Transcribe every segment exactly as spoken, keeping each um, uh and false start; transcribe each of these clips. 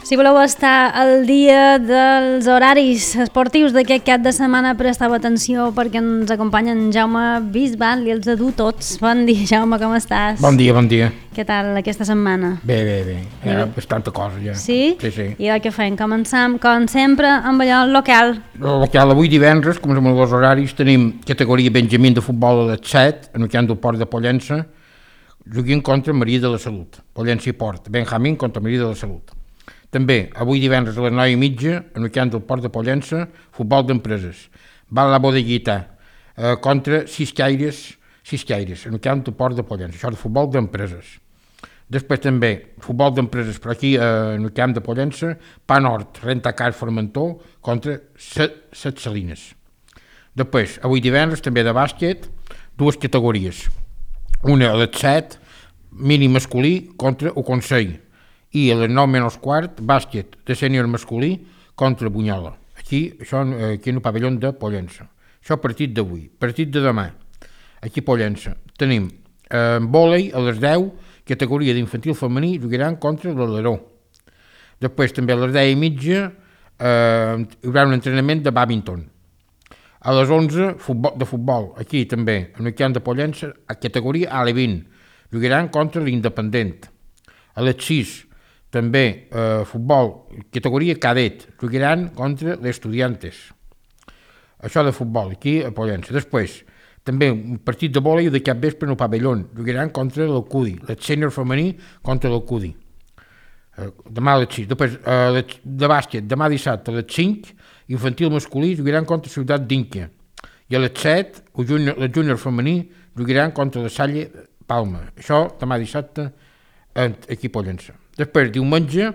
Si voleu estar al dia dels horaris esportius d'aquest cap de setmana, presteu atenció perquè ens acompanya en Jaume Bisbal i els de dur tots. Bon dia, Jaume, com estàs? Bon dia, bon dia. Què tal aquesta setmana? Bé, bé, bé. Hi ha bastanta cosa ja. Sí? Sí, sí. I el que fem? Començam, com sempre, amb allò local. El local, avui divendres, com som els horaris, tenim categoria Benjamín de futbol a les set, en el camp del Port de Pollença, juguin contra Maria de la Salut. Pollença i Port. Benjamín contra Maria de la Salut. També, avui divendres a les nou i mitja, en el camp del Port de Pollença, futbol d'empreses. Va la Bodeguita eh, contra Ciscaires, Ciscaires, en el camp del Port de Pollença. Això de futbol d'empreses. Després també, futbol d'empreses, però aquí eh, en el camp de Pollença, Pa Nord, Rentacar Formentor contra Set, Set Salines. Després, avui divendres, també de bàsquet, dues categories. Una a les set, mínim masculí contra el Consell. I a les nou menys quart, bàsquet de sènior masculí contra Bunyola. Aquí, això, aquí en el pavelló de Pollença. Això partit d'avui. Partit de demà. Aquí a Pollença. Tenim eh, vòlei a les deu, categoria d'infantil femení, jugaran contra l'Aleró. Després també a les deu i mitja eh, hi haurà un entrenament de bàdminton. A les onze, futbol, de futbol. Aquí també, en el camp de Pollença, a categoria A L vint. Jugaran contra l'Independent. A les sis, també eh, futbol, categoria cadet, jugaran contra les Estudiantes. Això de futbol, aquí a Pollença. Després, també un partit de vòlei de cap vespre en el pavelló, jugaran contra l'Alcudi, el sènior femení contra l'Alcudi. Eh, demà a les sis. Després, eh, de bàsquet, demà dissabte a les cinc, infantil masculí jugaran contra Ciutat d'Inca. I a les set, el júnior, el júnior femení jugaran contra la Salle Palma. Això demà dissabte aquí a Pollença. Després, diumenge,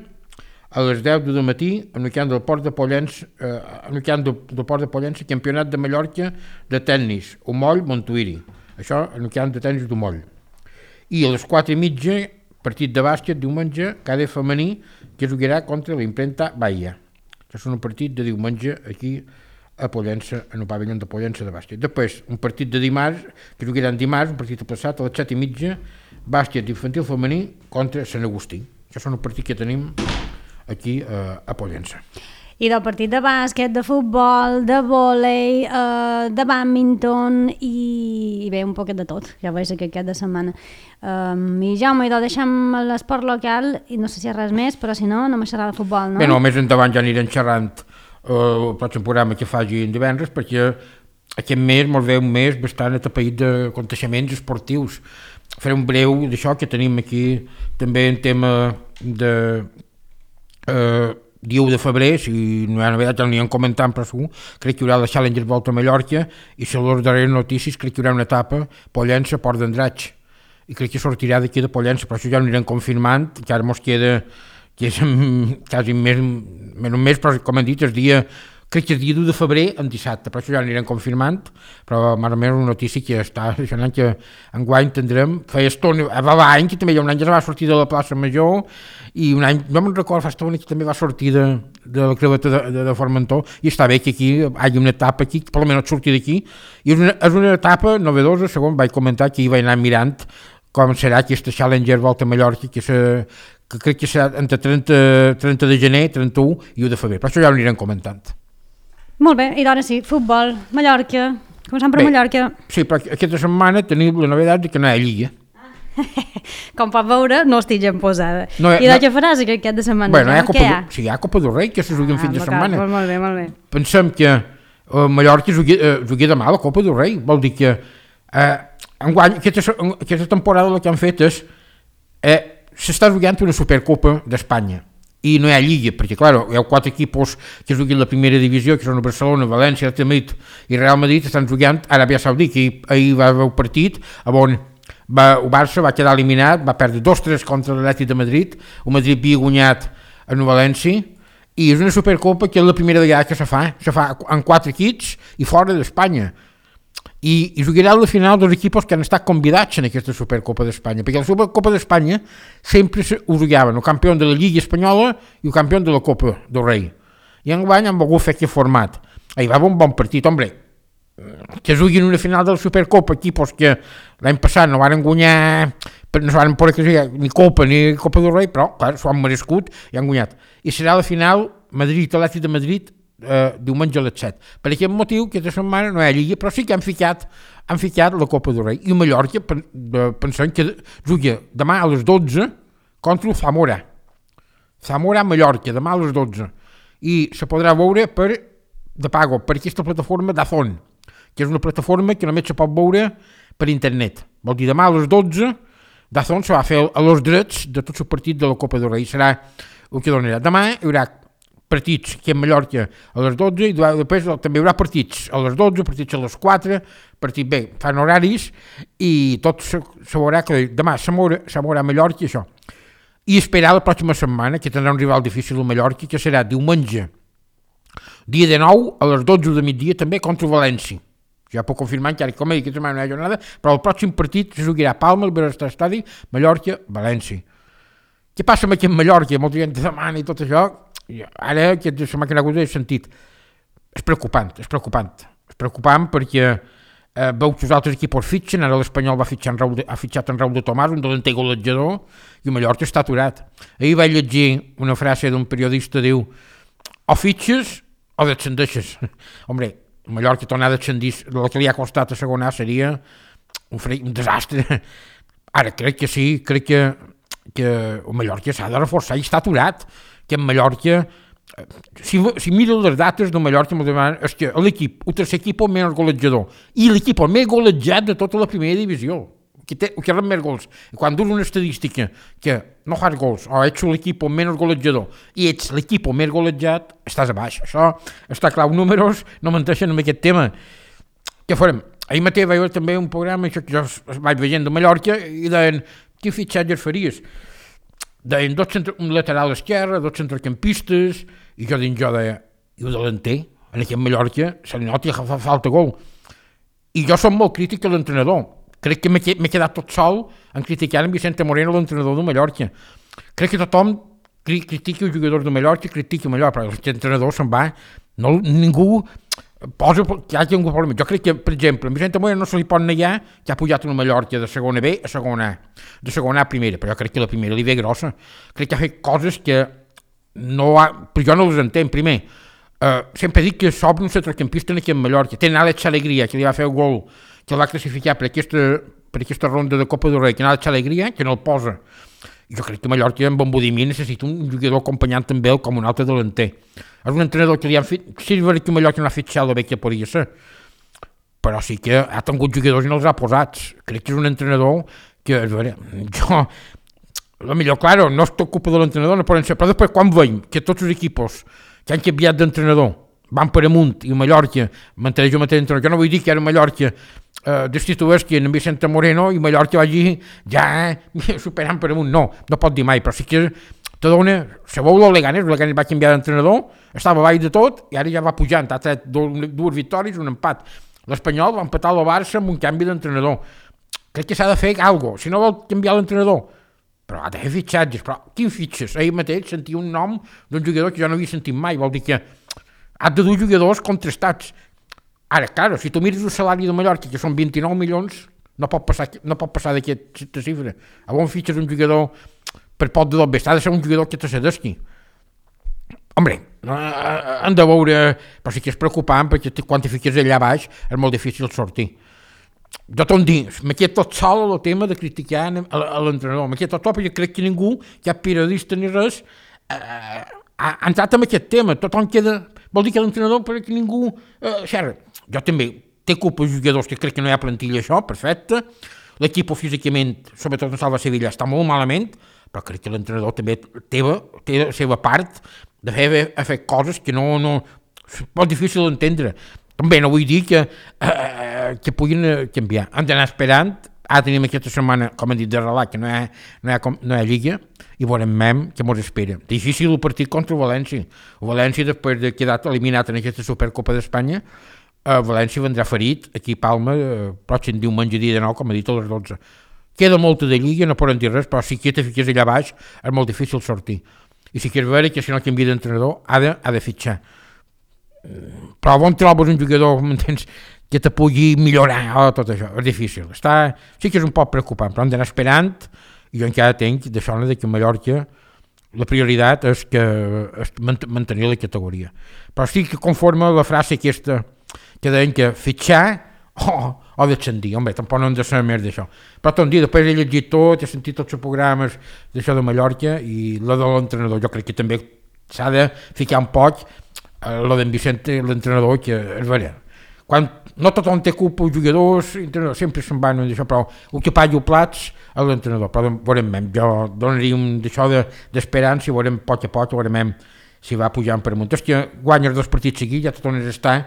a les deu del matí, en el camp del Port de Pollença, eh, en el camp del, del Port de Pollença, campionat de Mallorca de tennis, Omoll, Montuïri. Això en el camp de tennis d'Omoll. I a les quatre i mitja, partit de bàsquet, diumenge, cadet femení, que jugarà contra l'impremta Bahia. Això és un partit de diumenge aquí a Pollença, en el pavelló de Pollença de bàsquet. Després, un partit de dimarts, que jugaran dimarts, un partit aplaçat a les set i mitja, bàsquet infantil femení contra Sant Agustí. Això són el partit que tenim aquí eh, a Pollença. I del partit de bàsquet, de futbol, de vòlei, eh, de bàdminton i, i bé, un poquet de tot, ja veig que aquest de setmana. Um, I Jaume, idò, deixem l'esport local i no sé si hi ha res més, però si no, només serà de futbol, no? Bé, no, més endavant ja anirem xerrant eh, el pròxim programa que faci en divendres, perquè aquest mes ens ve un mes bastant atapeït d'aconteixements esportius. Faré un breu d'això que tenim aquí també en tema de eh, dia u de febrer, si no hi ha novetat ja n'hi comentant, però segur, crec que hi haurà la Challenger Volta a Mallorca i si les darreres notícies crec que hi haurà una etapa Pollença, Port d'Andratx i crec que sortirà d'aquí de Pollença, però això ja ho anirem confirmant, que ara mos queda que és quasi més, més un mes, però com hem dit, el dia crec que és dia u de febrer en dissabte, però això ja anirem confirmant, però més o menys una notícia que està deixant que enguany tindrem, feia estona, va l'any que també hi ha un any ja va sortir de la plaça Major i un any, no me'n recordo, fa estona que també va sortir de, de la creveta de, de, de Formentor i està bé que aquí hi hagi una etapa aquí, que per almenys surti d'aquí i és una, és una etapa novedosa, segons vaig comentar que hi vaig anar mirant com serà aquesta Challenger Volta a Mallorca que, se, que crec que serà entre trenta, trenta de gener, trenta-u i u de febrer, però això ja ho anirem comentant. Molt bé, i d'ara sí, futbol, Mallorca, començant per bé, Mallorca. Sí, però aquesta setmana tenim la novetat de que no hi ha lliga. Com pot veure, no estic gent posada. No, I de no, què faràs aquest de setmana? Bé, no hi ha Copa, hi ha? Sí, hi ha Copa del Rei, que se jugui en ah, fin de setmana. Molt, molt bé, molt bé. Pensem que uh, Mallorca jugui, uh, jugui demà la Copa del Rei, vol dir que uh, enguany, aquesta, aquesta temporada el que han fet és uh, s'està jugant una Supercopa d'Espanya. I no hi ha lliga, perquè, clar, hi ha quatre equipos que juguen la primera divisió, que són Barcelona, València, Madrid i Real Madrid, estan jugant a Aràbia Saudita, que ahir va haver un partit on va, el Barça va quedar eliminat, va perdre dos tres contra l'Atlètic de Madrid, el Madrid havia guanyat en València, i és una Supercopa que és la primera vegada que se fa, se fa en quatre equips i fora d'Espanya. I, i jugarà a la final dels equips que han estat convidats en aquesta Supercopa d'Espanya, perquè la Supercopa d'Espanya sempre ho jugaven el campió de la Lliga Espanyola i el campió de la Copa del Rei. I enguany han volgut fer aquest format. Ahir va haver un bon partit, hombre, que juguin una final de la Supercopa, equipos que l'any passat no van guanyar no se van poder que ni Copa ni Copa del Rei, però clar, s'ho han merescut i han guanyat. I serà la final Madrid-Atlètic de Madrid eh, diumenge a les set. Per aquest motiu, aquesta setmana no hi ha Lliga, però sí que han ficat, han ficat la Copa del Rei. I el Mallorca, pensant que juga demà a les dotze contra el Zamora. Zamora-Mallorca, demà a les dotze. I se podrà veure per de pago, per aquesta plataforma d'Azón, que és una plataforma que només se pot veure per internet. Vol dir, demà a les dotze d'Azón se va fer a los drets de tots els partits de la Copa del Rei. Serà el que donarà. Demà hi haurà partits aquí a Mallorca a les dotze i després també hi haurà partits a les dotze, partits a les quatre, partits bé, fan horaris i tot se, se veurà que demà se mourà, se mourà a Mallorca i això. I esperar la pròxima setmana, que tindrà un rival difícil a Mallorca, que serà diumenge, dia de nou, a les dotze de migdia, també contra València. Ja puc confirmar encara que com he dit, aquesta setmana no hi ha jornada, però el pròxim partit se jugarà a Palma, al Benestar Estadi, Mallorca, València. Què passa amb aquí en Mallorca? Molta gent demana i tot això. Ara, aquesta setmana que n'ha hagut he sentit. És preocupant, és preocupant. És preocupant perquè eh, veu que els altres equips fitxen, ara l'Espanyol va fitxar en Raúl de, ha fitxat en Raúl de Tomàs, un delanter golejador, i Mallorca està aturat. Ahir vaig llegir una frase d'un periodista, diu, o fitxes o descendeixes. Hombre, Mallorca tornar a descendir, el que li ha costat a segona seria un, fre... un desastre. Ara, crec que sí, crec que, que el Mallorca s'ha de reforçar i està aturat, que en Mallorca, si, si miro les dates del Mallorca, és que l'equip, el tercer equip el menys golejador, i l'equip el més golejat de tota la primera divisió, que té, que rep més gols. I quan durs una estadística que no fas gols, o ets l'equip el menys golejador, i ets l'equip el més golejat, estàs a baix. Això està clar, els números no menteixen amb aquest tema. Què farem? Ahir mateix vaig veure també un programa, això que jo vaig veient de Mallorca, i deien, quin fitxatges faries? Deien dos centre, un lateral esquerre, dos centrocampistes, i jo dins jo deia, i el delanter, en aquest Mallorca, se li nota que fa falta gol. I jo som molt crític a l'entrenador. Crec que m'he quedat tot sol en criticar en Vicente Moreno, l'entrenador de Mallorca. Crec que tothom critica els jugadors de Mallorca, critica Mallorca, però l'entrenador se'n va, no, ningú posa que hi hagi un problema. Jo crec que, per exemple, a Vicente Moreno no se li pot negar que ha pujat una Mallorca de segona B a segona A, de segona A a primera, però jo crec que la primera li ve grossa. Crec que ha fet coses que no ha, però jo no les entenc. Primer, uh, sempre dic que s'obre un centrocampista aquí en Mallorca, tenen Àlex Alegria, que li va fer el gol, que el va classificar per aquesta, per aquesta ronda de Copa del Rei, que n'ha Alegria, que no el posa. Jo crec que Mallorca en Bonbodimí necessita un jugador acompanyant també el com un altre delanter. És un entrenador que li han fet... Sí, és veritat que Mallorca no ha fet xal de bé que podria ser, però sí que ha tingut jugadors i no els ha posats. Crec que és un entrenador que, a veure, jo... El millor, claro, no és tot culpa de l'entrenador, no poden ser, però després quan veiem que tots els equipos que han canviat d'entrenador van per amunt i Mallorca manté jo mateix entrenador, jo no vull dir que era Mallorca eh, destitueix que en Vicente Moreno i Mallorca vagi ja eh, superant per amunt, no, no pot dir mai, però sí que te dona, se veu el Leganés, el Leganés va canviar d'entrenador, estava baix de tot i ara ja va pujant, ha tret dues victòries, un empat. L'Espanyol va empatar el Barça amb un canvi d'entrenador. Crec que s'ha de fer alguna cosa, si no vol canviar l'entrenador, però ha de fer fitxatges, però quins fitxes? Ahir mateix sentia un nom d'un jugador que jo no havia sentit mai, vol dir que has de dur jugadors contrastats. Ara, clar, si tu mires el salari de Mallorca, que són vint-i-nou milions, no pot passar, no pot passar d'aquesta xifra. A on fitxes un jugador per pot de doble, ha de ser un jugador que te cedesqui. Hombre, han de veure, però sí que és preocupant, perquè quan te fiques allà baix és molt difícil sortir. Jo t'ho dic, m'he quedat tot sol el tema de criticar a l'entrenador, m'he quedat tot sol perquè crec que ningú, cap periodista ni res, eh, ha entrat en aquest tema, tothom queda, vol dir que l'entrenador perquè ningú, eh, xerra. Jo també, té culpa els jugadors que crec que no hi ha plantilla això, perfecte, l'equip físicament, sobretot en Salva Sevilla, està molt malament, però crec que l'entrenador també té, té la seva part de fer, de fer coses que no, no, és molt difícil d'entendre. També no vull dir que, eh, que puguin canviar. Han d'anar esperant. Ara tenim aquesta setmana, com hem dit, de relat, que no hi ha, no hi ha, no hi ha Lliga, i veurem mem què ens espera. Difícil el partit contra el València. El València, després de quedar eliminat en aquesta Supercopa d'Espanya, el València vendrà ferit aquí a Palma, eh, pròxim diumenge dia de nou, com he dit, a les dotze. Queda molta de Lliga, no poden dir res, però si que te fiques allà baix és molt difícil sortir. I si quieres veure que si no canvia d'entrenador ha de, ha de fitxar. Però on trobes un jugador, m'entens, que te pugui millorar oh, tot això, és difícil. Està, sí que és un poc preocupant, però hem d'anar esperant, i jo encara tenc de sona que a Mallorca la prioritat és que és mantenir la categoria. Però sí que conforme la frase aquesta que deien que fitxar o, o descendir, home, tampoc no hem de saber més d'això. Però tot un dia, després he llegit tot, he sentit tots els programes d'això de Mallorca i la de l'entrenador, jo crec que també s'ha de ficar un poc eh, la d'en Vicente, l'entrenador, que és vera. Quan no tothom té culpa, els jugadors, sempre se'n van d'això, però el que pagui els plats és l'entrenador. Però veurem, jo donaria un d'això d'esperança i veurem poc a poc, veurem si va pujant per amunt. És que guanyes dos partits seguits, ja tot on és estar,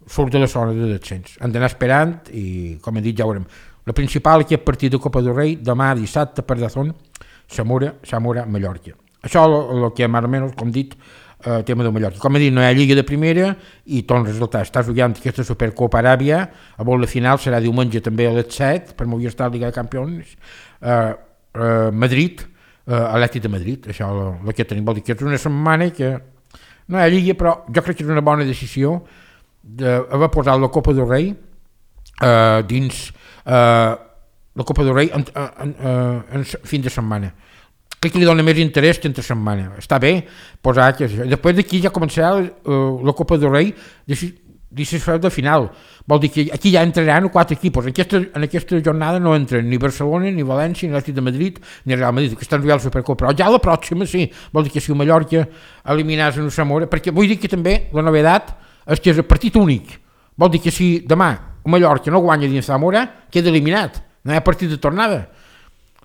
surt de la zona de descens. Hem d'anar esperant i, com he dit, ja veurem. La principal aquest partit de Copa del Rei, demà dissabte per Dazón, Zamora, Zamora, Mallorca. Això és el que més o menys, com dit, el tema de Mallorca. Com he dit, no hi ha Lliga de Primera i tots els resultats. Estàs jugant aquesta Supercopa Aràbia, a la final serà diumenge també a les set, per Movistar Liga de Campions, uh, uh, Madrid, uh, Atlètic de Madrid, això el que tenim, vol dir que és una setmana que no hi ha Lliga, però jo crec que és una bona decisió d'haver posat la Copa del Rei uh, dins uh, la Copa del Rei en, en, en, en fin de setmana. Crec que li dona més interès que entre setmana. Està bé posar que després d'aquí ja començarà uh, la Copa del Rei de final. Vol dir que aquí ja entraran quatre equipos. En aquesta, en aquesta jornada no entren ni Barcelona, ni València, ni l'Atlètic de Madrid, ni Real Madrid, que estan jugant la Supercopa. Però ja la pròxima sí. Vol dir que si el Mallorca eliminàs en Zamora, perquè vull dir que també la novedat és que és el partit únic. Vol dir que si demà el Mallorca no guanya dins Zamora, queda eliminat. No hi ha partit de tornada.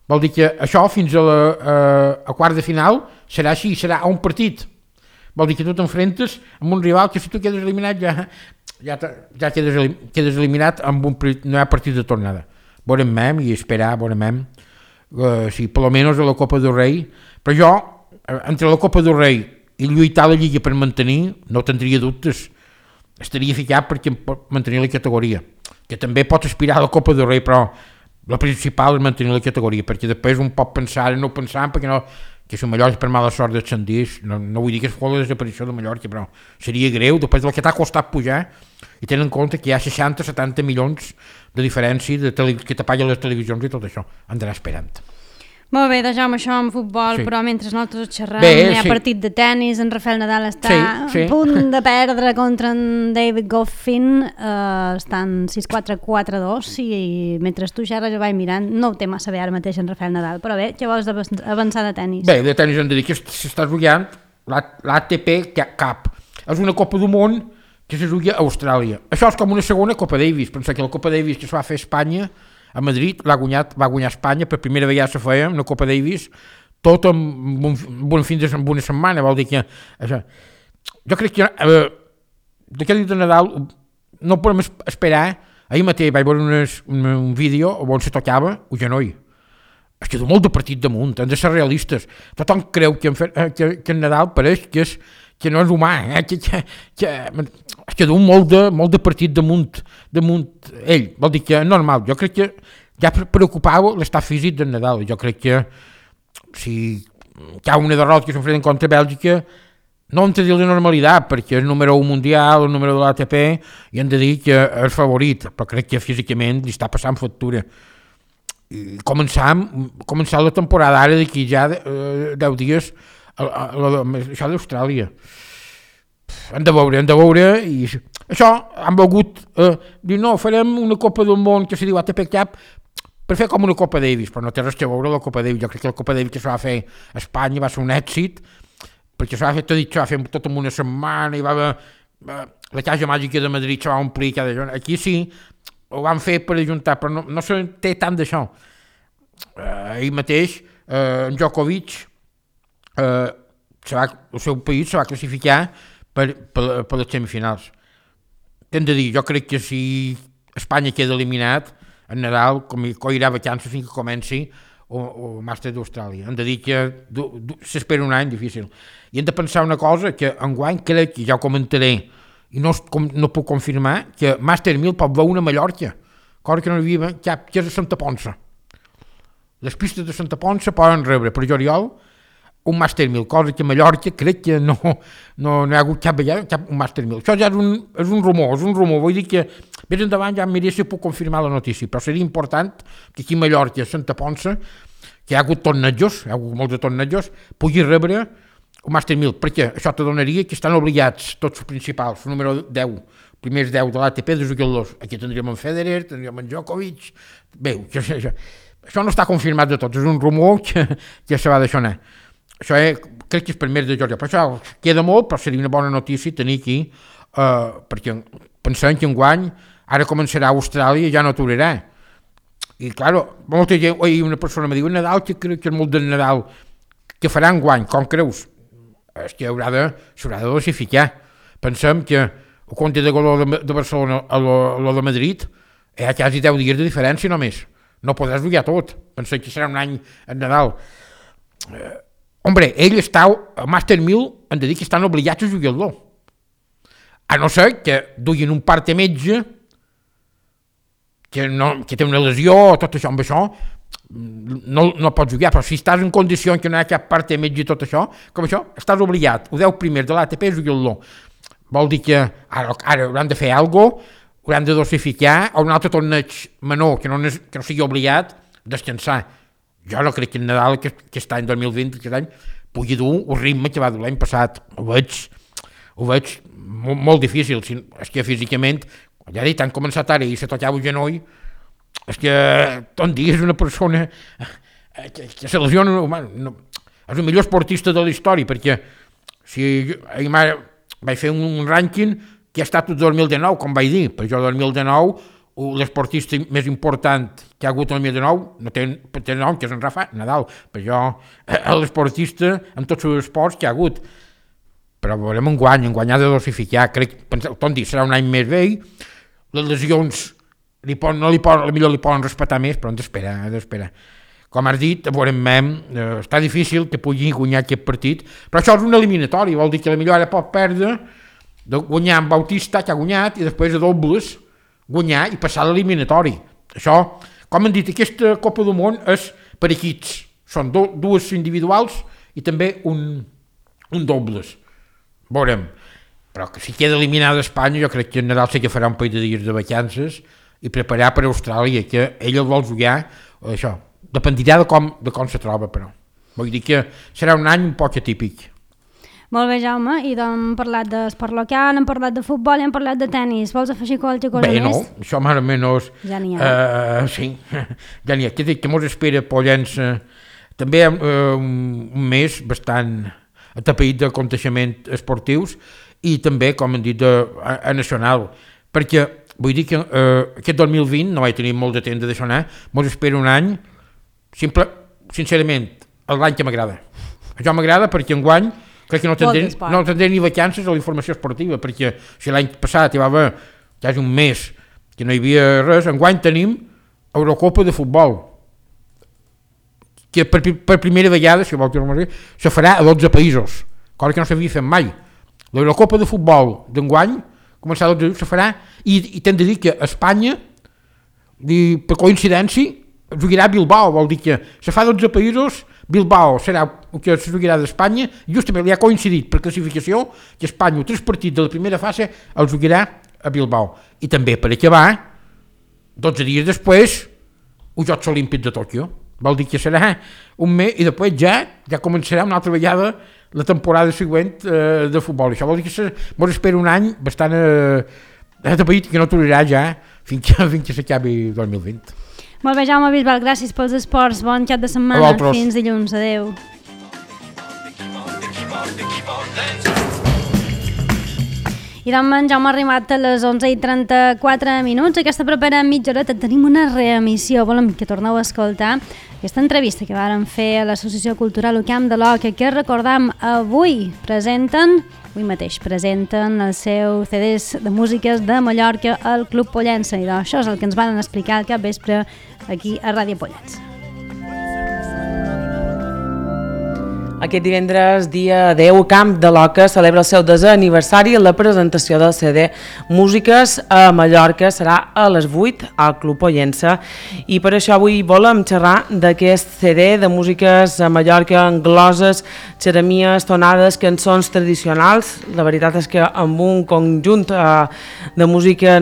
Vol dir que això fins a la a, a quart de final serà així, serà a un partit. Vol dir que tu t'enfrentes amb un rival que si tu quedes eliminat ja, ja, ja quedes, quedes eliminat amb un partit, no hi ha partit de tornada. Veurem mem i esperar, veurem mem, uh, si per almenys a la Copa del Rei, però jo, entre la Copa del Rei i lluitar la Lliga per mantenir, no tindria dubtes, estaria ficat perquè mantenir la categoria, que també pots aspirar a la Copa del Rei, però la principal és mantenir la categoria, perquè després un pot pensar, no pensar, perquè no, que si Mallorca per mala sort descendís, no, no vull dir que es fos la desaparició de Mallorca, però seria greu, després del que t'ha costat pujar, i tenen en compte que hi ha seixanta setanta milions de diferència de tele, que te paguen les televisions i tot això, han d'anar esperant. Molt bé, deixem això amb futbol, sí. Però mentre nosaltres xerrem, bé, hi ha sí. Partit de tennis, en Rafael Nadal està sí, sí. a punt de perdre contra en David Goffin, uh, estan sis quatre quatre dos i mentre tu xerres jo vaig mirant, no ho té massa bé ara mateix en Rafael Nadal, però bé, què vols avançar de tennis? Bé, de tennis hem de dir que s'està jugant l'A T P Cup, és una Copa del Món que se juga a Austràlia. Això és com una segona Copa Davis, pensa que la Copa Davis que es va fer a Espanya a Madrid l'ha guanyat, va guanyar Espanya, per primera vegada se feia una Copa Davis, tot en un, un fin de en una setmana, vol dir que això, jo crec que eh, d'aquest dia de Nadal no podem esperar. Ahir mateix vaig veure unes, un, un vídeo on se tocava el genoll. Es queda molt de partit damunt, hem de ser realistes. Tothom creu que en, que, que en Nadal pareix que, és, que no és humà, eh? que, que, que es queda un molt de, molt de partit damunt, damunt ell. Vol dir que és normal. Jo crec que ja preocupava l'estat físic del Nadal. Jo crec que si hi ha una derrota que s'enfrenta contra Bèlgica, no hem de dir la normalitat, perquè és el número un mundial, el número de l'A T P, i hem de dir que és favorit, però crec que físicament li està passant factura. I començar, començar la temporada ara d'aquí ja eh, deu dies a, a, a, a, això d'Austràlia hem de veure, hem de veure i això han volgut eh, dir no, farem una Copa del Món que se diu A T P Cup per fer com una Copa Davis, però no té res a veure la Copa Davis. Jo crec que la Copa Davis que se va fer a Espanya va ser un èxit perquè se va fer, t'he dit, se va fer tot en una setmana i va haver eh, la Casa Màgica de Madrid se va omplir cada jornada. Aquí sí ho van fer per ajuntar, però no, no se té tant d'això. Uh, ahir mateix, uh, en Djokovic, uh, se va, el seu país se va classificar per, per, per les semifinals. T'hem de dir, jo crec que si Espanya queda eliminat, en Nadal com, com irà vacances fins que comenci el màster d'Austràlia. Hem de dir que s'espera un any difícil. I hem de pensar una cosa, que enguany crec que ja ho comentaré, i no, com, no puc confirmar que Màster mil pot veure una Mallorca, cosa que no hi havia cap, que és a Santa Ponça. Les pistes de Santa Ponça poden rebre per juliol un Màster mil, cosa que a Mallorca crec que no, no, no hi ha hagut cap vegada cap un Màster mil. Això ja és un, és un rumor, és un rumor, vull dir que més endavant ja em miré si puc confirmar la notícia, però seria important que aquí a Mallorca, a Santa Ponça, que hi ha hagut tornejos, hi ha hagut molts de tornejos, pugui rebre un Màster mil, perquè això te donaria que estan obligats tots els principals, el número deu, primers deu de l'A T P de jugadors. Aquí tindríem en Federer, tindríem en Djokovic, bé, això, això, això no està confirmat de tots, és un rumor que, que se va deixar anar. Això és, crec que és per mes de juliol, però això queda molt, però seria una bona notícia tenir aquí, eh, perquè pensem que enguany ara començarà a Austràlia i ja no aturarà. I, claro, molta gent, oi, una persona me diu, Nadal, que crec que és molt del Nadal, que farà enguany, com creus? És que haurà de, s'haurà de dosificar. Pensem que el compte de gol de, de Barcelona a lo, a lo de Madrid hi ha quasi deu dies de diferència només. No podràs jugar tot. Pensem que serà un any en Nadal. Eh, hombre, ell està, al Màster mil, han de dir que estan obligats a jugar-lo. A no ser que duguin un part de metge que, no, que té una lesió o tot això, amb això no, no pots jugar, però si estàs en condició que no hi ha cap part de metge i tot això, com això, estàs obligat, ho deu primer de l'A T P jugar-lo. Vol dir que ara, ara hauran de fer alguna cosa, hauran de dosificar, o un altre torneig menor que no, que no sigui obligat, descansar. Jo no crec que en Nadal, que, que està en dos mil vint, aquest any, pugui dur el ritme que va dur l'any passat. Ho veig, ho veig molt, molt difícil. És que físicament, ja he dit, han començat ara i se tocava el genoll, és que tot dia és una persona que, que se lesiona, no, és el millor esportista de la història, perquè si ahir vaig fer un rànquing que ha estat el dos mil dinou, com vaig dir, per jo el dos mil dinou l'esportista més important que ha hagut el dos mil dinou no té, té nom, que és en Rafa Nadal, per jo l'esportista en tots els esports que ha hagut, però veurem enguany, enguany ha de dosificar, crec, tot dir, serà un any més vell, les lesions li poden, no li poden, millor li poden respetar més, però hem d'esperar, hem d'esperar. Com has dit, veurem, eh, està difícil que pugui guanyar aquest partit, però això és un eliminatori, vol dir que la millor ara pot perdre, de guanyar amb Bautista, que ha guanyat, i després a dobles guanyar i passar l'eliminatori. Això, com han dit, aquesta Copa del Món és per equips, són do, dues individuals i també un, un dobles. Veurem, però que si queda eliminada Espanya, jo crec que en Nadal sí que farà un parell de dies de vacances i preparar per a Austràlia, que ell el vol jugar, això, dependirà de com, de com se troba, però. Vull dir que serà un any un poc atípic. Molt bé, Jaume, i doncs hem parlat d'esport local, hem parlat de futbol i hem parlat de tennis. Vols afegir qualque cosa més? Bé, més? no, això més o menys... Ja n'hi ha. Uh, sí, ja n'hi ha. Que, que mos espera Pollença també uh, un, un mes bastant atapeït d'aconteixements esportius i també, com hem dit, de, a, a nacional, perquè vull dir que uh, aquest dos mil vint no vaig tenir molt de temps de deixar anar, mos espera un any, simple, sincerament, l'any que m'agrada. Això m'agrada perquè enguany crec que no tindré, no tindré ni vacances a la informació esportiva, perquè si l'any passat hi va haver quasi un mes que no hi havia res, enguany tenim Eurocopa de futbol, que per, per primera vegada, si vol dir, se farà a dotze països, cosa que no s'havia fet mai. L'Eurocopa de futbol d'enguany, començar a dotze se farà, i, i t'hem de dir que Espanya, i per coincidència, jugarà a Bilbao, vol dir que se fa dotze països, Bilbao serà el que se jugarà d'Espanya, justament li ha coincidit per classificació que Espanya, tres partits de la primera fase, el jugarà a Bilbao. I també, per acabar, dotze dies després, els Jocs Olímpics de Tòquio. Vol dir que serà un mes i després ja ja començarà una altra vegada la temporada següent eh, de futbol. Això vol dir que se, mos espera un any bastant eh, atapeït que no aturarà ja fins que, fins que s'acabi dos mil vint. Molt bé, Jaume Bisbal, gràcies pels esports, bon cap de setmana, fins dilluns, adeu. I doncs en Jaume ha arribat a les onze i trenta-quatre minuts. Aquesta propera mitja horeta tenim una reemissió. Volem que torneu a escoltar aquesta entrevista que vàrem fer a l'Associació Cultural Camp de l'Oca, que recordam avui presenten, avui mateix presenten el seu C Ds de músiques de Mallorca al Club Pollença. I doncs això és el que ens van explicar al capvespre aquí a Ràdio Pollença. Aquest divendres, dia deu, Camp de l'Oca celebra el seu desè aniversari. La presentació del C D Músiques a Mallorca serà a les vuit al Club Pollença. I per això avui volem xerrar d'aquest C D de Músiques a Mallorca, en gloses, xeremies, tonades, cançons tradicionals. La veritat és que amb un conjunt eh, de música